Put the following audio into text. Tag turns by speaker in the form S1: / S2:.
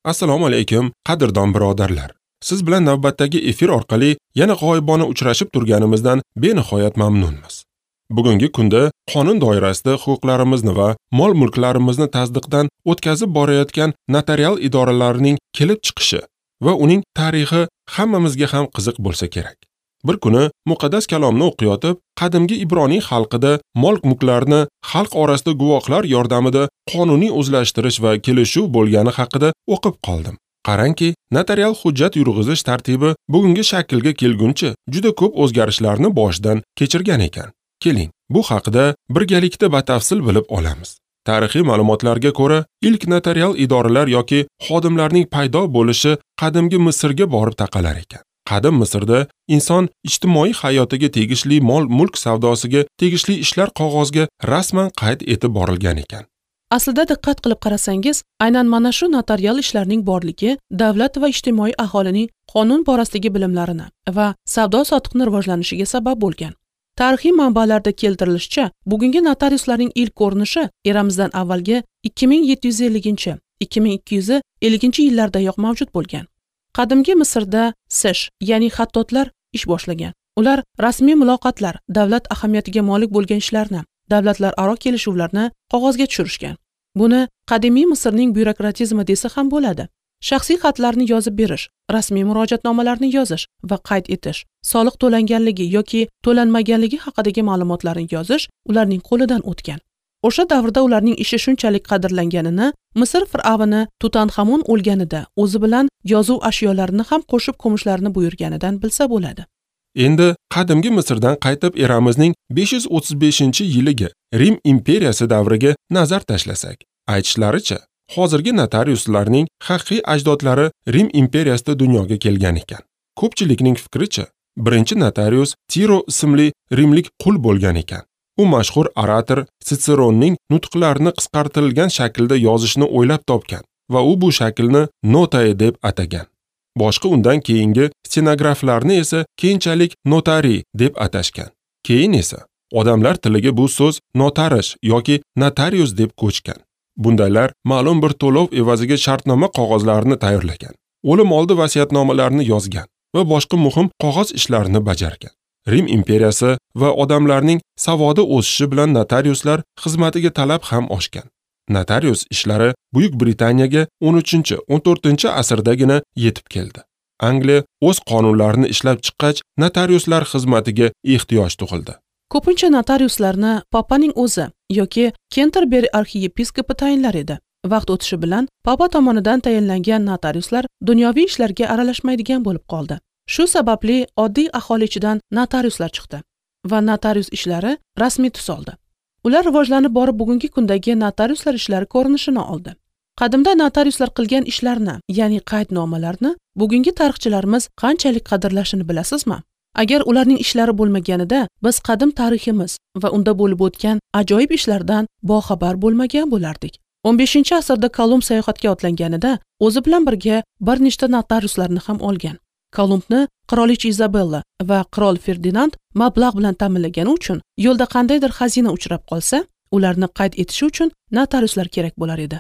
S1: Assalomu alaykum, qadrdon birodarlar. Siz bilan navbatdagi efir orqali yana g'oyibona uchrashib turganimizdan benihoyat mamnunmiz. Bugungi kunda qonun doirasida huquqlarimizni va mol-mulklarimizni tasdiqdan o'tkazib borayotgan notarial idoralarining kelib chiqishi va uning tarixi hammamizga ham qiziq bo'lsa kerak. Bir kuni muqaddas kalomni o'qiyotib, qadimgi Ibroniy xalqida mol-mulklarni xalq orasida guvohlar yordamida qonuniy o'zlashtirish va kelishuv bo'lgani haqida o'qib qoldim. Qarangki, notarial hujjat yurg'izish tartibi bugungi shaklga kelguncha juda ko'p o'zgarishlarni boshidan kechirgan ekan. Keling, bu haqida birgalikda batafsil bilib olamiz. Tarixiy ma'lumotlarga ko'ra, ilk notarial idoralar yoki xodimlarning paydo bo'lishi qadimgi Misrga borib taqalar ekan. Qadim Misrda inson ijtimoiy hayotiga tegishli mol-mulk savdosiga tegishli ishlar qog'ozga rasman qayd etib borilgan ekan.
S2: Aslida diqqat qilib qarasangiz, aynan mana shu notarial ishlarning borligi davlat va ijtimoiy aholining qonun borasidagi bilimlarini va savdo-sotiqni rivojlanishiga sabab bo'lgan. Tarixiy manbalarda keltirilishicha, bugungi notariuslarning ilk ko'rinishi eramizdan avvalgi 2750-2250 yillardayoq mavjud bo'lgan. Qadimgi Misrda sesh, ya'ni xattotlar ish boshlagan. Ular rasmiy muloqotlar, davlat ahamiyatiga molik bo'lgan ishlarni, davlatlararo kelishuvlarni qog'ozga tushirishgan. Buni qadimiy Misrning byurokratizmi desa ham bo'ladi. Shaxsiy xatlarni yozib berish, rasmiy murojaatnomalarni yozish va qayd etish, soliq to'langanligi yoki to'lanmaganligi haqidagi ma'lumotlarni yozish ularning qo'lidan o'tgan. O'sha davrda ularning ishi shunchalik qadrlanganini Misr fir'avni Tutanxamon o'lganida o'zi bilan yozuv ashyolarini ham qo'shib ko'mishlarini buyurganidan bilsa bo'ladi.
S1: Endi qadimgi Misrdan qaytib eramizning 535-yiliga Rim imperiyasi davriga nazar tashlasak, aytishlaricha, hozirgi notariuslarning haqiqiy ajdodlari Rim imperiyasida dunyoga kelgan ekan. Ko'pchilikning fikricha, birinchi notarius Tiro ismli rimlik qul bo'lgan ekan. U mashhur orator Sitseronning nutqlarini qisqartirilgan shaklda yozishni o'ylab topgan va u bu shaklni notae deb atagan. Boshqa undan keyingi stenograflarni esa keyinchalik notari deb atashgan. Keyin esa odamlar tiliga bu so'z notarish yoki notarius deb ko'chgan. Bundaylar ma'lum bir to'lov evaziga shartnoma qog'ozlarini tayyorlagan, o'lim oldi vasiyatnomalarini yozgan va boshqa muhim qog'oz ishlarini bajargan. Rim imperiyasi va odamlarning savodi o'sishi bilan notariuslar xizmatiga talab ham oshgan. Notarius ishlari Buyuk Britaniyaga 13-14 asrdagina yetib keldi. Angliya o'z qonunlarini ishlab chiqqach, notariuslar xizmatiga ehtiyoj tug'ildi.
S2: Ko'pincha notariuslarni papaning o'zi yoki Kenterberi arxiyepiskopi tayinlar edi. Vaqt o'tishi bilan papa tomonidan tayinlangan notariuslar dunyoviy ishlarga aralashmaydigan bo'lib qoldi. Shu sababli oddiy aholi ichidan notariuslar chiqdi va notarius ishlari rasmiy tus oldi. Ular rivojlanib borib bugungi kundagi notariuslar ishlari ko'rinishini oldi. Qadimda notariuslar qilgan ishlarni, ya'ni qaydnomalarni bugungi tarixchilarimiz qanchalik qadrlashini bilasizmi? Agar ularning ishlari bo'lmaganida biz qadim tariximiz va unda bo'lib o'tgan ajoyib ishlardan boxabar bo'lmagan bo'lardik. 15-asrda Kolumb sayohatga otlanganida o'zi bilan birga bir nechta notariuslarni ham olgan. Kolumbni qirolicha Izabella va qirol Ferdinand mablag' bilan ta'minlagani uchun yo'lda qandaydir xazina uchrab qolsa, ularni qayd etishi uchun notariuslar kerak bo'lar edi.